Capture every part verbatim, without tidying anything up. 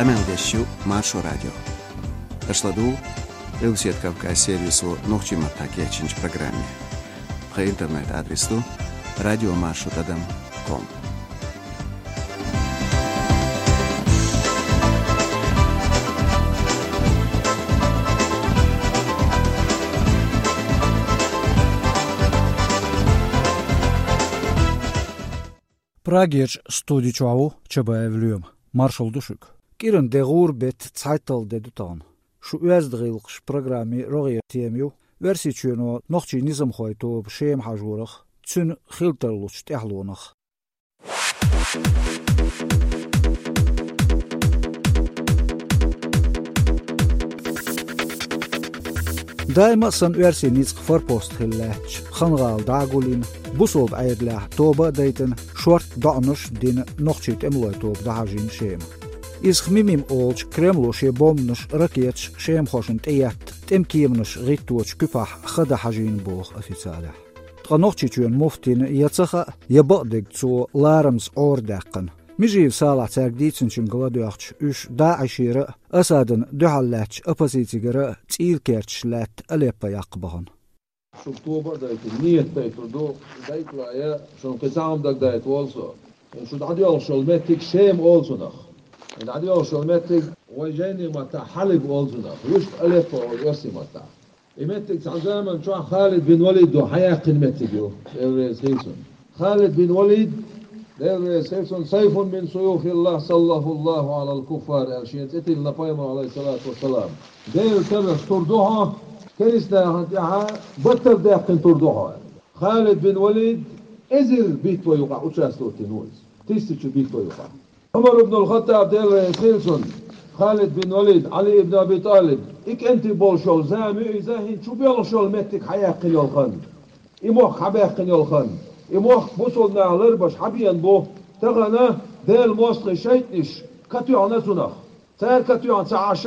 Къамел деш ю Маршо радио. Аша ладугӀу Къилбаседа Кавказ сервисо нохчийн маттахь кечйинчу программе. Тхан интернет-адрес ду радиомаршо тӀадам ком. Прагерчу студи чохь ву Чабаев Лоьма. Маршалла ду шуьга. КӀиран де гӀура беттан цхьайтталгӀа де ду тахана. Шу оьзда гӀиллакхаш программин рогӀера тема ю Оьрсийчоьно нохчийн низамхойн тоба Шема хьажорах, цуьнан хила тарлучу тӀаьхьалонах. Даима а санна оьрсийн ницкъ форпост хилла лаьттачу Хан-гӀала дӀа а гулйина, бусалба Ӏедалехь тоба а дайтина, шортта доӀанаш а дина нохчийн тӀемалойн тоба дӀахьажийна Шема. Иза Хмимим олучу Кремло шен бомбанаш, ракеташ шемахошна тӀеетта тӀеман кеманаш гӀитточу куьпахь хан дан хьажийна боху официалехь. Ткъа Нохчийчоьнан муфтина я ца хаьа, я бакъдерг цо ларамаза Ӏора даьккхина. Межиев Салахь цаьрга дийцинчуьнга ладоьгӀча, уьш ДАИШера а, Асадна дуьхьал лаьттачу оппозицигара а цӀийла керташ лаьтта Алеппо яккха бахана. Шуьга тоба а дайтина, ният дайтур ду, дайтале, шуна кхин цхьа хӀума дагадайта волу со. Шу дӀадоьлхуш йолу меттиг Шема олу цунах. И дӀадоьлхуш йолу меттиг вайн жайнийн маттахь Хьалиб олу цунах, вуьшта Алеппо олу оьрсийн маттахь. И меттиг цхьана заманчохь Халид бин Валид хьаяьккхина меттиг ю, Дела реза хила цунна. Халид бин Валид, Дела реза хила цунна, «Сайфун мин суюфиллахь, саллахуллаху алал куффар», аьлла шена цӀе тиллина пайхамар, алейхиссалату вассалам. Делан карах тур ду хьо, керста нахана тӀехь баттал даьккхина тур ду хьо. Халид бин Валид эзар битва юкъахь участвовать дина ву иза. Тиссачу битва юкъахь. Ӏумар ибн аль-Хаттаб, Дела реза хила цунна, Халид бин Валид, Ӏали ибн Аби ТӀалиб, и кӀентий болуш йолу зама ю иза, хӀинца шу боьлхуш йолу меттиг хьаяьккхина йолу хан. И мохк хьабаьккхина йолу хан. И мохк бусалба наха ларбеш хьабеана бу, тахана Делан мостагӀийн шайтӀанаш катоьхна цунах. Цара катоьхна ца Ӏаш,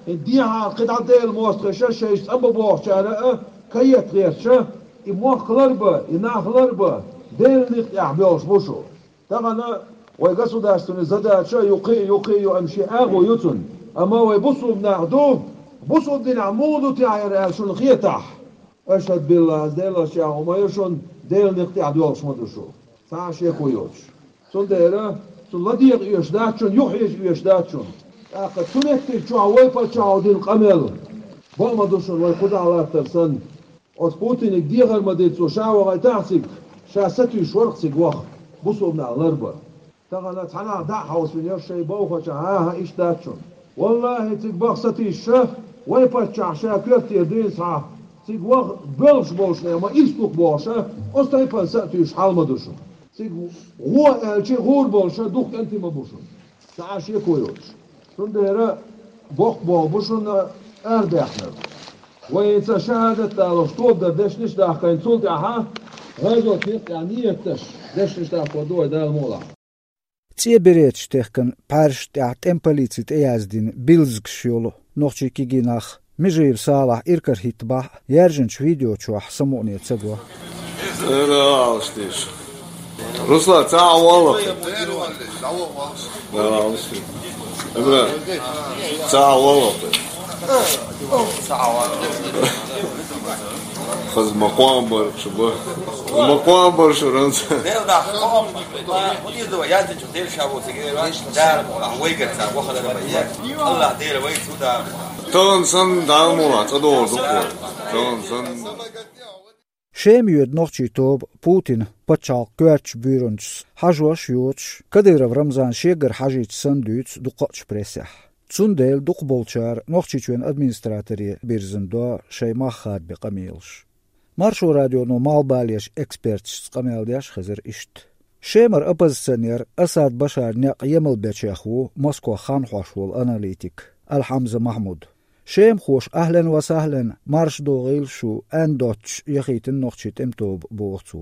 дехьа кхидӀа Делан мостагӀаша шайша цӀанбан бохучара а каетта гӀерташ, и мохк ларбан, и нах ларбан Делан некъа тӀехь боьлхуш бу шу. Тахана вайн государственный задача ю кхин а, ю кхин а ю, амма шен агӀо ю цунна. Амма вай бусалба нах ду, бусалба динехь муха ду техьа хӀара аьлла шуна хетахь. Ашхьаду биллахь, аса Делан шех хӀума ю шуна, Делан некъа тӀехь доьлхуш ма ду шу. Цхьа а шеко йоцуш. Цундела цунна ладегӀа оьшуш дац шуна, юхахьежа оьшуш дац шуна. ТӀаккха цу меттиг чохь вай паччахьо дина къамел бакъ ма ду шуна, вай кхузахь латтар санна. Оцу Путиниг дехар ма дира цо, ша вахийтахь цига, ша сатуьйсуш вара цига ваха, бусалба нах ларбан. Тахана цхьа нах дӀа а хьовсийна, шайн бовхача, хӀан-хӀа, иштта дац шуна. Валлахьи, цига баха сатуьйсуш, вай паччахь ша коьртера дуьйна схьа, цига ваха боьлхуш болчу нехан ма ирс ду-кх бохуш, оцу тайпана сатуьйсуш хьал ма ду шуна. Цига гӀо аьлча, гӀур болуш дукха кӀентий ма бу шуна. Цхьа а шеко йоцуш. Цундела боккха болх бу шуна арабаьхнарг. Вайца шахӀадат далош тоба дар дешнаш а дахкийна, цул тӀаьхьа гӀазотан некъа тӀехь ният деш дешнаш дахко ду вай, Дала мукъ лахь. ЦӀен береташ техкина пхьаьршна тӀехь тӀеман полици тӀеяздина билзигаш йолу нохчийн кегий нах Межиев Салахь иракарахӀиттабахь а, яьржинчу видео чохь самукъане ца го. Ара алаш тийша. Руслан, цхьа а валла. Ара алаш тийша. Ибра, цхьа а валла. Хаза ма кхоам бар шу ба. Ма кхоам бар шу ранца. Тахана санна Дала мукъ лахь, цӀа догӀур ду-кх вай. Тахана санна. Шема йоьду нохчийн тоба Путинан пачхьалкхан коьртачу буьйранчас хьажош а йоцуш, Кадыров Рамзан шегара хьажийча санна дуьйцу дукхачу прессехь. Цундела дукхахболчара Нохчийчоьнан администраторе бирзина до шайн мах хадабе къамелаш. Маршо радионо малхбалерчу эксперташца къамел деш хезира иштта. Шемара оппозиционер Асад Башаран некъ емал бечех ву Москох хан хьош волу аналитик Аль-Хьамза Махьмуд. Шемахоша ахьлен ва сахьлен, марша догӀийла шу аьнна доццуш яхийтина нохчийн тӀеман тоба, боху цо.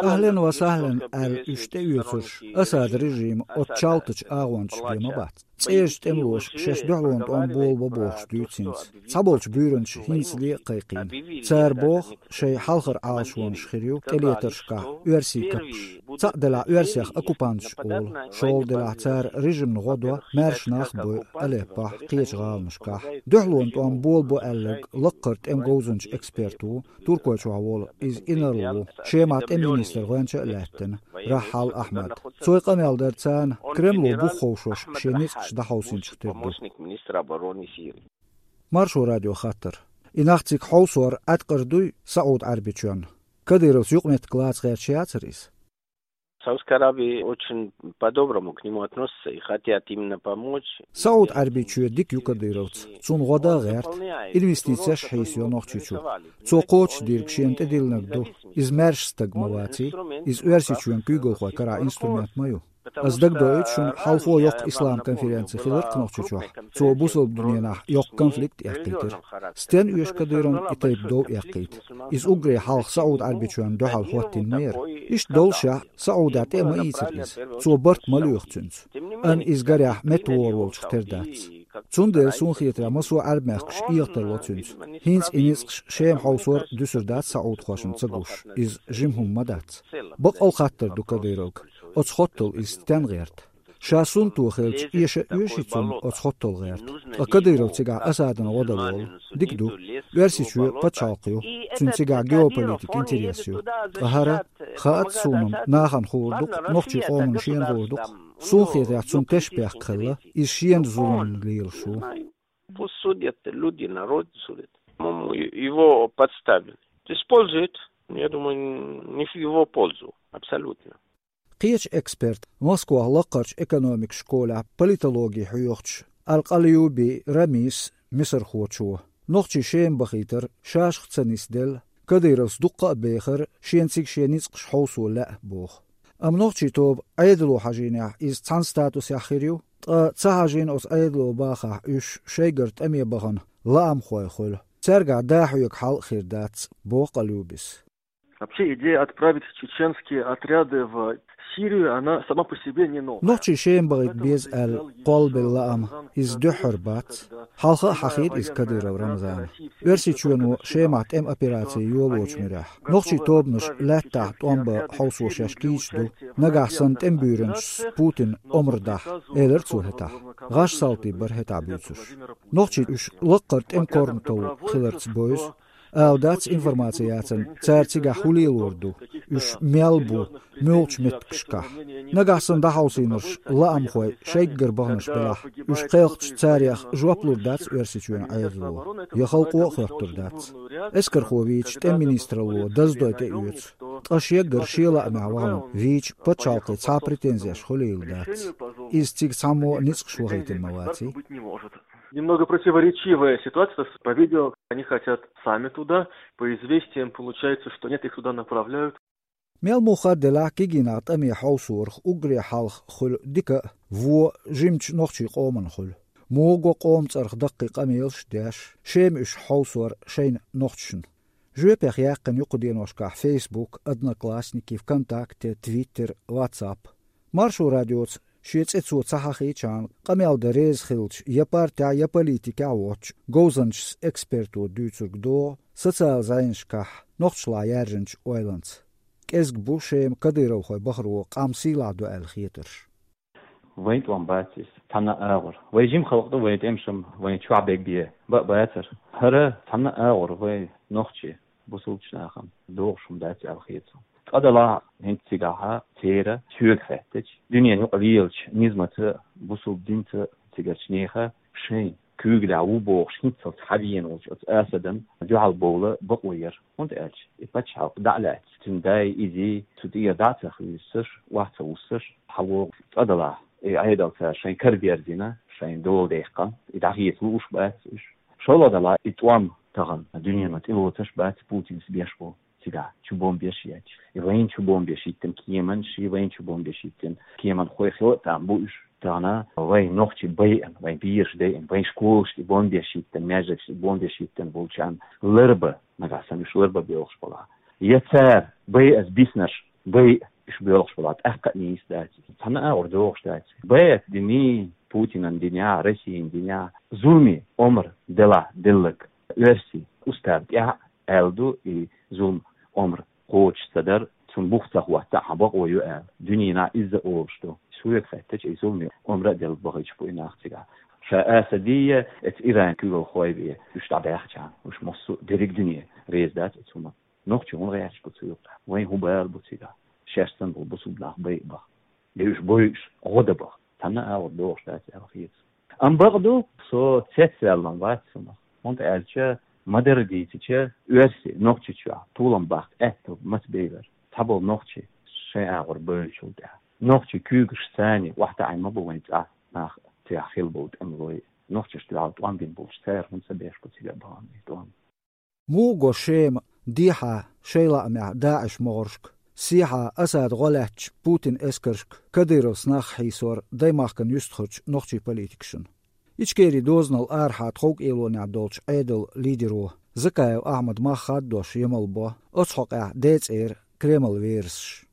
Ахьлен ва сахьлен аьлла уьш тӀеоьцурш Асадан режима оцу чалтачу агӀончашна бен ма бац. ЦӀерачу тӀемалоша шаьш дуьхьалонан тӀом болабо бохуш дуьйцу хӀинца. Цхьаболчу буьйранчаша хӀинцале а кхайкхийна. Цара боху, шайн хьалхара Ӏалашонаш хир ю тӀелетаршкахь оьрсийн каппаш. Цхьаъ делахь, оьрсех оккупанташ олу, шолгӀа делахь, цара режимна гӀо до, маьрша нах бойу Алеппохь, кхечу гӀаланашкахь. Дуьхьалонан тӀом болабо аьлларг лаккхара тӀеман говзанча эксперт ву, Туркойчохь волу, иза инарла ву, Шемахь тӀеман министр гӀоьнча а лаьттина, Рахьал Ахьмад. Цо и къамел дара царна, Кремло бух ховшош шен ницкъаш дӀахьовсийначух тера ду. Маршо радио хаттар: и нах цига хьовсор Ӏаткъара дуй СаӀуд-Ӏаьрбийчоьнна? Кадыровца юкъаметтиг лаца гӀерташ яцара иза? Саудовская Аравия очень по-доброму к нему относится и хотят именно помочь. СаӀуд-Ӏаьрбийчоь дика ю Кадыровца, цунна гӀо дан а гӀерта, инвестицеш хьийсайо Нохчийчу. Цо кхочушдийриг шена тӀедиллинарг ду. Иза маьрша стаг ма ваций, иза Оьрсийчоьнан куьйгалхойн карахь инструмент ма ю. Ас дагадоуьйту шуна, хьалхо йоккха ислам конференци хилира-кх Нохчийчохь. Цо бусалба дуьненахь йоккха конфликт эккхийтира. Стенна оьшу Кадыровна и тайпа дов эккхийта? Иза уггаре хьалха СаӀуд-Ӏаьрбийчоьнна дуьхьал хӀоттийна ма яра. Иштта доллушехь, СаӀудехь тӀе а ма ийцира иза. Цо барт ма лоьху цуьнца. Амма иза гарехь меттавогӀур волчух тера дац. Цундела, суна хетарехь, массо а Ӏаьрбийн мехкаш эгӀазло ло цуьнца. ХӀинца и ницкъаш Шема хьовсор дуьсур дац саудхошна ца гуш, иза жима хӀума ма дац. Баккъал хаттар ду Кадыровга, оцу хоттало иза стенна гӀерта. Ша суннато хилча, эша а оьший цунна оцу хоттало гӀерта? Ткъа Кадыров цигахь Асадана гӀо дала волу? Дика ду. Оьрсийчоь пачхьалкх ю, цуьнан цигахь геополитика интерес ю. Ткъа хӀара, хаац суна-м, нахана хуур ду-кх, нохчийн къоманна шена хуур ду-кх. Суна хетарехь, цунна тешнабехк хилла, иза шена зулам лелаш ву. Пусть судят люди, народ судит. По-моему, его подставили. Используют, я думаю, не в его пользу. Абсолютно. Кхечу эксперт, Москвахь лаккхарчу экономикан школехь политологи хьоьхучу Аль-Къалиюби Рамис мисархочо, нохчий Шема бахийтар шашха ца нисделла, Кадыровс дуккха а бехара, шена цига шен ницкъаш хьовсо лаьа боху. Амма нохчийн тоба Ӏедало хьажийнехь, иза цхьана статусехь хир ю, ткъа ца хьажийна оцу Ӏедало бахахь, уьш шайгара тӀаме бахана лаамхой хуьлу. Цаьргахь да хьоьга хьал а хир дац, боху Къалиюбис. Вообще идея отправить чеченские отряды в Сирию, она сама по себе не новая. Нохчий Шема бахийта беза аьлла кхоллабелла лаам, иза дуьххьара бац. Хьалха а хьахийра иза Кадыров Рамзана. Оьрсийчоьно Шемахь тӀеман операци йолочу муьрехь, нохчийн тобанаш лаьттахь тӀом бан хьовсо шаьш кийча ду, нагахь санна тӀеман буьйранчас Путинан омра дахь, элира цо хӀетахь. ГӀаш салтий бара хӀетахь буьйцуш. Нохчий уьш лаккхара тӀеман корматалла хиларца бевза, ала дац информаци яцарна, цара цигахь хӀун лелор ду, уьш мел бу, муьлхачу меттигашкахь. Нагахь санна дӀахьовсийнарш лаамхой шайггара баханарш белахь, уьш кхелхича, царех жоп лур дац Оьрсийчоьнан Ӏедало, я халкъо а хоьттур дац. Эскархо вийча, тӀеман министралло даздой тӀеоьцу, ткъа шеггара шен лаамехь вахана вийча, пачхьалкхе цхьа а претензеш хуьлийла дац. Иза цига цхьаммо а ницкъаш вахийтина ма ваций. Немного противоречивая ситуация. То есть, по видео они хотят сами туда, по известиям получается, что нет, их туда направляют. Мел муха делахь, кегийнах тӀаме хьовсорах уггаре хьалха хуьлу дика а, вон а жимачу нохчийн къоманна хуьлу. Муха го къоман цӀарах даккхий къамелаш а деш, Шема уьш хьовсор шайна нохчашна. Жоьпех яьккхина ю кху деношкахь Facebook, Одноклассники, ВКонтакте, Twitter, WhatsApp. Маршо радиоца шен цӀе цо ца хьахийчахьана, къамел дан реза хилча я партехь, я политикехь воцчу говзанчас эксперто дуьйцург догӀу социал зӀенашкахь нохчашлахь яьржинчу ойланца. КӀезиг бу Шема кадыровхой бахаро къам сийлахь до аьлла хетарш. Вайн тӀом бац иза, цхьана а агӀор. Вай жима халкъ ду, вайн тӀемашам вайн чохь бегбе бан а бацара. ХӀара цхьана а агӀор вай нохчий бусулбачу нахана догӀуш хӀума дац аьлла хета суна. Цкъа делахь, хӀинца цигахьа церан соьга хаьттича, дуьненан юкъа лелачу низамца, бусулба динца цигарчу нехан шайн куьйгаллехь ву бохуш хӀинццалц хьавеана волчу оцу Асадан дуьхьал бовла бакъо яра. ХӀунда аьлча и пачхьалкх дӀа а лаьцна, цуьнан дай, изий цу тӀера дӀа а ца хуьйсуш, охьа ца вуссуш, хьавогӀу. Цкъа делахь, и Ӏедал цара шайн кара берзина, шайн дола даьккхина, и дӀахеца лууш бац уьш. ШолгӀа делахь, и тӀом тахана дуьнено тӀелоцуш бац Путинс беш бу. Цигахь чу бомбеш етташ. И вайна чу бомбеш йиттина кеманаш, и вайна чу бомбеш йиттина кеманхой хила а там бу уьш. Тахана вайн нохчий байъина, вайн бераш дайъина, вайн школашна и бомбеш йиттина, маьждигашна и бомбеш йиттина болчарна ларба, нагахь санна уьш ларба боьлхуш балахь. Я цара байъаза биснарш байъа уьш боьлхуш балахь, тӀаккха а нийса дац. Цхьана а агӀор догӀуш дац. Беат дини, Путинан динехь, Россин динехь зуламе омра делахь делларг, оьрсийн устав тӀехь аьлла ду, и зулам омра кхочуш ца дара. Цунна бух ца хӀоттахь, хьан бакъо ю аьлла, дуьненахь изза олуш ду. Соьга хаьттича, и зуламе омра а делла бахийташ бу и нах цигахь. Ша Асадия, эца Иран куьйгалхой бен, уьш дӀабаьхча, уьш массо а дерриг дуьне реза дац оцу хӀуманна. Нохчий хӀунда гӀерташ бу цу юкъахь? Вайн хӀун бала бу цигахь? Шаьш санна болу бусулба нах байа баха. Я уьш бойуш, гӀо дан баха. Цхьанна а агӀор догӀуш дац аьлла хета. Амма бакъ ду, со цецваьллан вац цунах. ХӀунда аьлча, ма-дарра дийцича, оьрсий, Нохчийчохь толам баккха аьтту маца бевлар? Цхьаболу нохчий шайн агӀор бевллачул тӀаьхьа. Нохчий куьйгаш царний охьатаӀийна ма бу вайн цӀахь нах, цигахь хилла болу тӀемалой. Нохчашна дуьхьал тӀом бина болчу цара хӀунда ца беш бу цигахь бахана и тӀом? Муха го Шема дехьа шайн лаамехь ДАИШ могӀаршка, сехьа Асада гӀо лаьттачу Путин эскаршка Кадыровс нах хьийсор даймахкана юьстахарчу нохчийн политикашна? Ичкерин дозанал арахьа тховкӀелонехь долчу Ӏедалан лидеро Закаев Ахьмада мах хаддош ямал бо оцу хьокъехь децӀера Кремлан верасаш.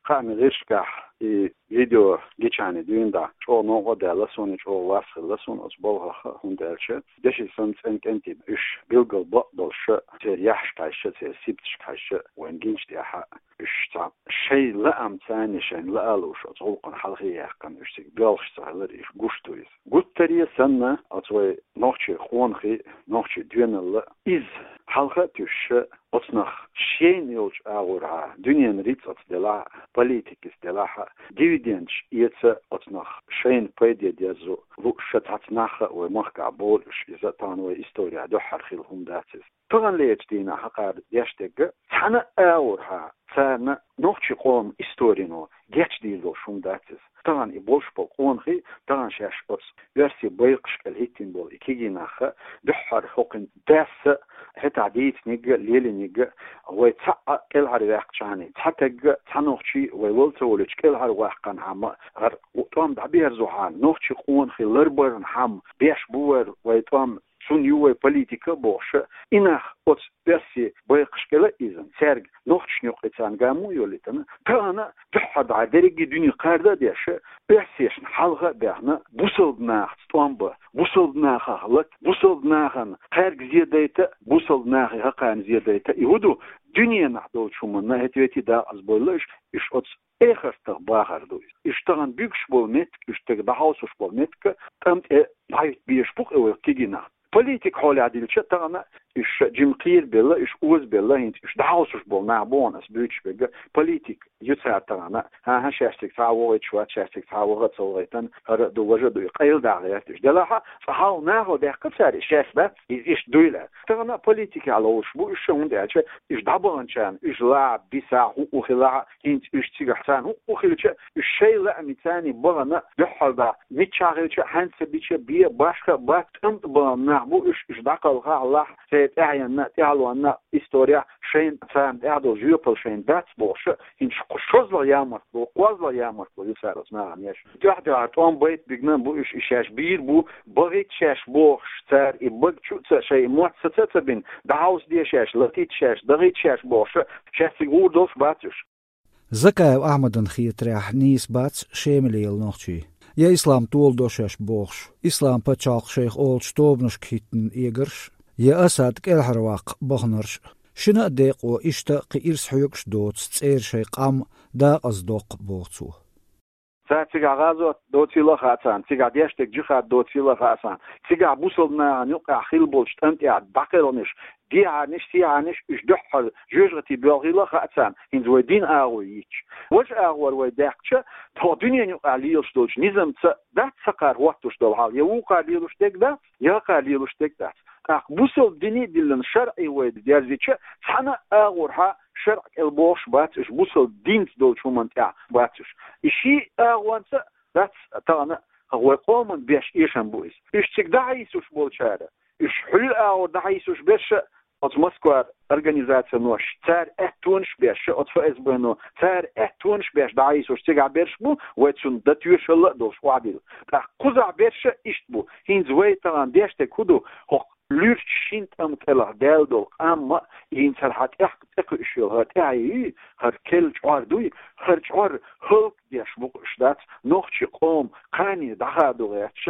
Хаамийн гӀирсашкахь и видео гича дуьйна дӀа чӀогӀа новкъа а даьлла суна, чӀогӀа вас хилла суна оцу балхах, хӀунда аьлча деши санна цӀена кӀентий уьш билггал бакъдолуш, церан яххьашка хьаьжча, церан сибаташка хьаьжча, вайна гинчу тӀехь уьш цхьа шайн лаам царний шайна лаа а лууш, оцу гӀуллакхана хьалхе а яьккхина, уьш цига боьлхуш ца хилар уьш гуш ду иза. Гуттаре а санна, оцу вай нохчийн къонахий, нохчийн доьналла иза хьалха а туьйсуш, оцу нах шайна йолчу агӀорхьа, дуьненан рицкъаца делахь а, политикаца делахь а, дивидендаш эца оцу нах шайна пайде дезза лууш цхьацца нах а вай махкахь болуш, иза тахана вай историхь дуьххьара хилла хӀума дац иза. Таханлерчу дийнахь хьакхара деш дерг а цхьана а агӀорхьа царна нохчийн къоман историно гечдийр долуш хӀума дац иза. Тахана и болуш болу къонахий, тахана шаьш оцу оьрсийн байкхашкахь хӀиттина болу и кегий нах а, дуьххьара хӀокхуьнан дас а, хӀетахь дийцинарг а, лелийнарг а, вай цхьаъ а кӀелхьарваьккхича, цхьа таг а, цхьа нохчи а вай лала ца волуьйтуш кӀелхьарваьккхинехь а, хӀара тӀом дӀаберзахь а, нохчийн къонахий ларбарнехь а беш бу вай тӀом, цунна ю вай политика а бохуш, и нах оцу оьрсийн байкхашкахь а иза, цаьрга нохчашна юккъе царна гамма а йолуьйтуш, тахана а дуьххьара дӀа дерриге дуьне кхарда а деш, оьрсешна хьалха а баьхна, бусалба нахаца тӀом бан, бусалба нахах лата, бусалба нахана кхаьрга зе дайта, бусалба нахе хӀокхарна зе дайта. И хӀун ду, дуьненахь долчу хӀуманна хӀета ветий дакъазбойла уьш, уьш оцу эхартах бахар ду иза. Уьш тахана буьгуш болу меттиг, уьш стеган дӀахьовсуш болу меттиг а тӀам тӀе дӀахӀитта безаш бу-кх и вай кегий нах. Политика хьолехь дилча, тахана уьш жима кхерабелла, уьш озабелла, хӀинца уьш дӀахьовсуш болу нах бу хьуна ас буьйцуш берг а, политика ю цара тахана. ХӀан-хӀа, шаьш цига цхьа а вогӀуьйтуш вац, шаьш цига цхьа а ваха а ца вогӀуьйтуш, хӀара а ду, важа а ду, и къайладаха гӀерта уьш. Делахь а, цкъа хьалха нахала даьккхира цара и шаьш, дац, иза иштта дуйла. Тахана а политикехь ловзуш бу уьш, хӀунда аьлча уьш дӀабаханчарна, уьш лахь а, бисахь а, хӀуъу хилахь а, хӀинца уьш цигахь царна хӀуъу хилча, уьш шайн лаамца царний бахана, дуьххьара дӀа миччахь хилча а, хьаьнца бича а, бен а, башха а бац, тӀам тӀе бахана нах бу уьш, уьш дӀакхалхахь а, лахь а, шайн тӀаьхьенна а, тӀаьхьалонна а, историхь а шайна царна тӀехь долу жоьпалла шайна дац бохуш, хӀинца шозлагӀа ямартло, кхозлагӀа ямартло ю цара оцу нахана еш. Дуьхь-дуьхьара тӀом байта бигна бу уьш, и шаьш бийр бу, бахийта шаьш бохуш, цара и бага чу а ца, шайн мотт саца а ца бина, дӀахьовсаде шаьш, латийта шаьш, дахийта шаьш бохуш, шаьш цига гӀур долуш бац уьш. Закаев Ахьмадна хетарехь, нийса бац Шема лела нохчий, я ислам толадо шаьш бохуш, ислам пачхьалкх шайх олучу тобанашка хӀиттина эгарш, я Асад кӀелхьарваккха баханарш. Шина а декъо иштта кхин ирс хьоьгуш доцу цӀера шайн къам дакъаздоккху, боху цо. Цара цигахь гӀазот доцийла а хаьа царна, цигахь деш дерг джихад доцийла а хаьа царна, цигахь бусалба нахана юккъехь хилла болчу тӀам тӀехь дӀакхелхинарш, дехьарниш, сехьарниш, уьш дуьххьара жоьжахати боьлхийла а хаьа царна, хӀинца вай дин агӀо йитча. Важа агӀор вай даьккхича, тхо дуьненан юкъахь лелаш долчу низамца дац сакхара хӀоттуш долу хьал, я вукхара лелаш дерг дац, я хӀокхара лелаш дерг дац. ТӀаккха бусалба дине а диллина шарӀе вай дерзича, цхьана а агӀорхьа шарӀ кӀел бохуш бац уьш, бусалба динца долчу хӀуманна тӀехь бац уьш. И ши агӀонца дац тахана вай къоман беш эшам бу иза. Уьш цига дӀахьийсуш болчара, уьш хьуьлла агӀор дӀахьийсуш берш а, оцу Москвара организацинош, цара аьттонаш беш а, оцу ФСБ-но, цара аьттонаш беш дӀахьийсуш цигахь берш бу, вай цунна дан тоьшалла а долуш охьадилла. ТӀаккха кхузахь берш а иштта бу. ХӀинца вай тахана деш дерг хӀун ду? ХӀокху луьрачу шина тӀам кӀелахь даьлла долу къам а, хӀинца хӀара хьан тӀехь тӀекхуьуш йолу хӀара тӀаьхье юй, хӀара керла чкъор дуй, хӀара чӀор хӀаллакдеш бу-кх уьш, дац, нохчий къоман кхане дӀахадо гӀерташ,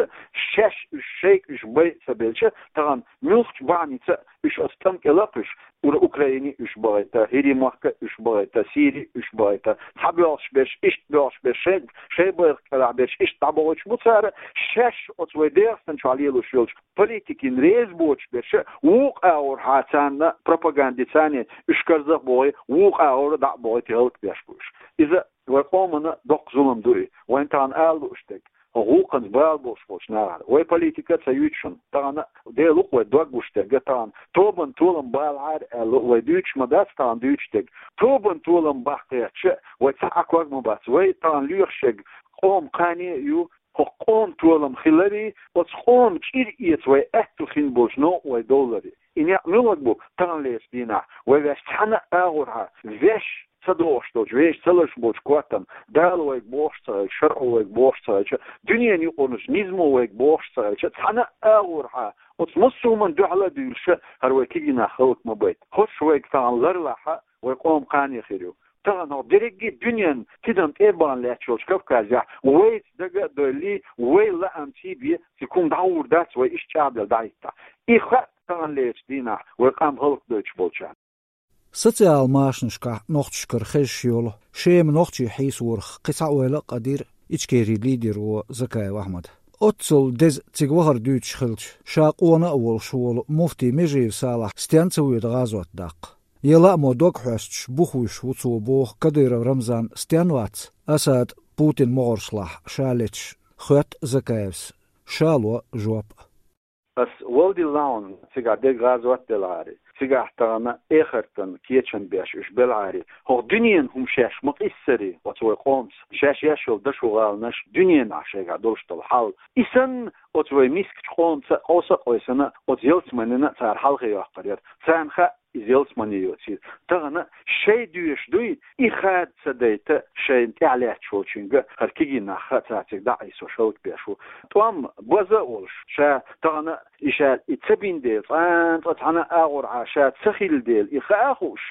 шаьш уьш шайга уьш байа ца белча, тахана муьлххачу бахьаница уьш оцу тӀам кӀел а кхуьссуш, ур-, Украине уьш бахийта, ХӀирийн махка уьш бахийта, Сири уьш бахийта, цхьа боьлхуш берш, иштта боьлхуш берш, шайн, шайн байракх кӀелахь берш, иштта дӀабахийтуш бу цара, шаьш оцу вай ДегӀастан чохь лелош йолчу политикина реза боцуш берш, вукху агӀорхьа царна пропагандица а уьш карзахбохий, вукху агӀор дӀа а бохий, хӀаллакдеш бу уьш. Иза вай къомана доккха зулам ду и. Вайн тахана ала лууш дерг, хӀокху гӀуллакханца бала болуш болчу нахана. Вай политика а ца юьйцу шуна. Тахана Дела ву-кх вай дог гуш дерг а тахана. Тобанан толам балахьара аьлла, вай дуьйцуш ма дац тахана дуьйцуш дерг. Тобанан толам баккхийтича, вай цхьа а ког ма бац. Вай тахана лоьхуш ерг къоман кхане а ю, хӀокху къоман толам хиларе, оцу къоман чӀир эца вай аьтто хин болчу новкъа вай довларе. И некъ муьлхарг бу таханлерчу дийнахь? Вай ваьш цхьана а агӀорхьа, ваьш ца догӀуш долчу, вешан ца лазаш болчу коттам, Дала вайга бохуш ца хилча, шарӀо вайга бохуш ца хилча, дуьненан юкъарнаш низамо вайга бохуш ца хилча, цхьана а агӀорхьа, оцу массо а хӀуманна дуьхьал а дуьйлуш, хӀара вай кегий нах хӀаллак ма байта. ХӀорш вайга тахана ларлахь, вай къоман кхане хир ю. Тахана хӀокху дерриге дуьненан тидам тӀе а бахана лаьтташ йолчу Кавказехь вайца дага а дойллий, вай лаамца бен, цига хӀума дӀагӀур дац, вай иштта чӀагӀделла дӀахӀиттахь. И хаьа таханлерчу дийнахь вай къам хӀаллакдойтуш болчарна. Социал-машанашкахь нохчашкара хезаш йолу Шема нохчий хьийсорах кхин цхьа ойла а къадийра Ичкерин лидеро Закаев Ахьмада. Оццул деза цига вахар дуьйцуш хилча, ша къона а волуш волу муфтий Межиев Салахь стенна ца воьду гӀазот даккха? Я лаамо дог хьоьстуш, бух вуьсуш ву цо боху Кадыров Рамзан стенна вац, Асад, Путин могӀаршлахь ша леташ, хоьтту Закаевс. Ша ло жоп а. Ас валдиллахьун, цигахь дерг гӀазот делахьара, цигахь тахана эхартан кечам беш уьш белахьара, хӀокху дуьненан хӀума шаьш ма къиссара оцу вай къомца, шаьш еш йолу дашо гӀаланаш, дуьненахь шайгахь долуш долу хьал. И санна, оцу вай мискачу къомца а къовса а къовсина, оцу ялсаманина а цара хьалхе йоккхур яра. Царна хаьа, иза ялсамане йоцийла. Тахана шайн доьшуш дуй, и хада ца дайта шайна тӀаьхьа лаьтташ волчуьнга, хӀара кегий нах хаьа, цара цига дӀа а Ӏийсош хӀаллакбеш ву. ТӀом база а волуш, ша тахана и ша и ца бина дела, цкъа а цхьана а агӀорхьа ша ца хилла дела, и хаа а хууш,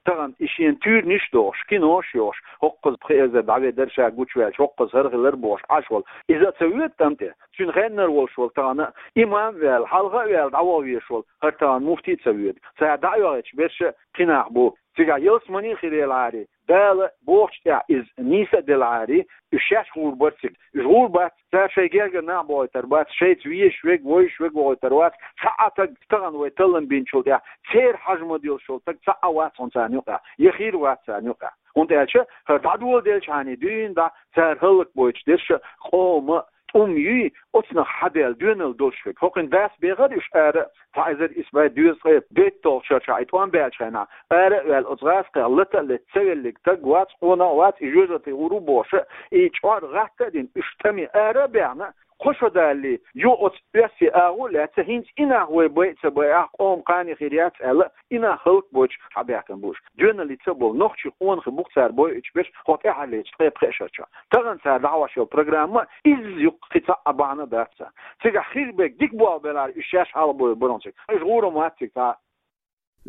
тахана и шена туьйранаш а дохуш, кинош а йохуш, хӀокхуза пхи эзар дӀаведар ша гучуваьлча, хӀокхуза хӀара хилар бохуш Ӏаш волу. Иза а ца воьду тӀам тӀе? Цуьнан хеннара волуш волу тахана имам а ваьлла, хьалха а ваьлла, дӀаваха везаш волу хӀара тахана муфтий а ца воьду. Цара дӀа а йохуьйтуш берш а кхин нах бу. Цигахь ялсамане а хир елахьара, Дала бохучу тӀехь иза нийса а делахьара, уьш шаьш гӀур бара цига. Уьш гӀур бац, цара шайн гергара нах бохуьйтур бац, шайца везаш верг, вевзаш верг вохуьйтур вац, цхьа а таг тахана вай таллам бинчул тӀехь, церан хьежа ма-диллинчул таг цхьа а вац хьуна царна юкъахь, я хир вац царна юкъахь. ХӀунда аьлча хӀара дӀадоладелчхьана дуьйна дӀа цара хӀаллакбойтуш дерш а къоман тӀум юй, оцунах хьадаьлла доьналла долуш верг. ХӀокхуьнан дас бехара уьш ара, цхьа эзар исс бӀе дезткъе дейтталгӀачу шарахь и тӀом баьллачу хенахь, ара а ваьлла оцу гӀазкхех лата а летта ца веллиг таг вац, къонах а вац, и жоьжахати гӀур ву бохуш, и чкъор гӀатта а дина, уьш тӀаме ара а баьхна, кхо шо далале, юха оцу оьрсийн агӀо а лаьцна, хӀинца и нах вай байа а ца байахь, къоман кхане хир яц аьлла, и нах хӀаллакбойтуш хьабаьхкина бу уьш. Доьналлица а болу нохчийн къонахий бу-кх цара бойуьйтуш берш хӀокху тӀаьхьарлечу ткъе пхеа шарчохь. Тахана цара дӀахьош йолу программа изза юккъе кхин цхьа а бахьана дац царна. Цигахь хир берг дика болх белахьара, уьш шаьш хьалха бовр бара хьуна цига. Уьш гӀур ма вац цига цхьа а.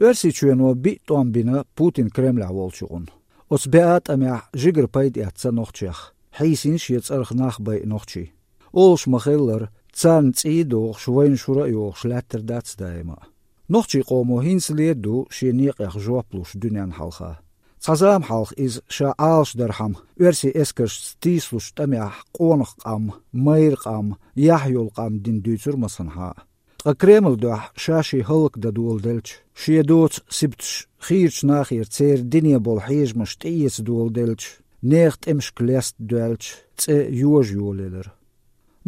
Оьрсийчоьно биъ тӀом бина Путин Кремлехь волчу юкъанна. Оцу беа тӀамехь жигара пайда эцна нохчех, хьийсина шен цӀарах нах байа нохчий. Олуш ма-хиллара, царна цӀий а дохуш, вайна шура а йохуш лаьттар дац даима а. Нохчийн къомо хӀинцале а ду шен некъех жоп луш дуьненна хьалха. Цхьа зама хьалха иза ша Ӏалашдархьама, оьрсийн эскаршца тийсалучу тӀамехь къонах къам, майра къам, яхь йолу къам дина дуьйцура массанхьа а. Ткъа Кремлан дуьхьа ша-шен хӀаллакдан доладелча, шен доцу сибаташ хийрачу нахера церан дине болу хьежамаш тӀеэца доладелча, нехан тӀемашка леста доьлча, цӀе йожа йолаелира.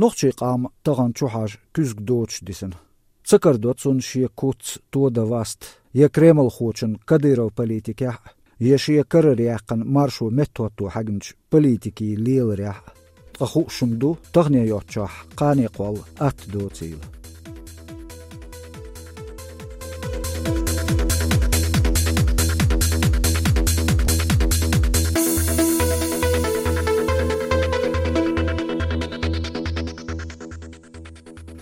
Нохчийн къам тахана чухьажа куьзга доцуш дисина. Ца карадо цунна шен куц тодан васт я кремлхочун Кадыровн политикехь а, я шен карара яьккхина маршо меттахӀотто хьаьгначу политикийн леларехь а. Ткъа хууш хӀума ду, тахане йоцчохь кхане кхолла атта доцийла.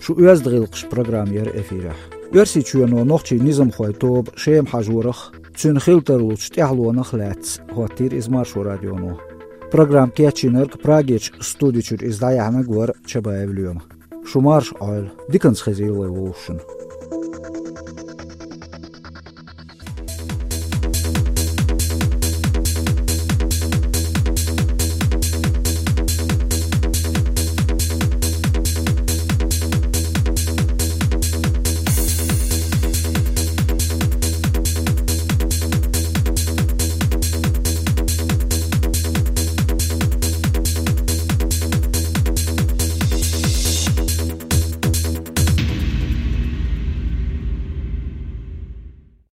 Шу «Оьзда гӀиллакхаш» программа яра эфирехь. Оьрсийчоьно нохчийн низамхойн тоба Шема хьажорах, цуьнан хила тарлучу тӀаьхьалонах лаьцна хӀоттийра иза Маршо радионо. Программа кечйинарг Прагерчу студи чуьра иза дӀаяьхьнарг вара Чабаев Лоьма. Шу марша Ӏойла, диканца хезийла вай вовшашна.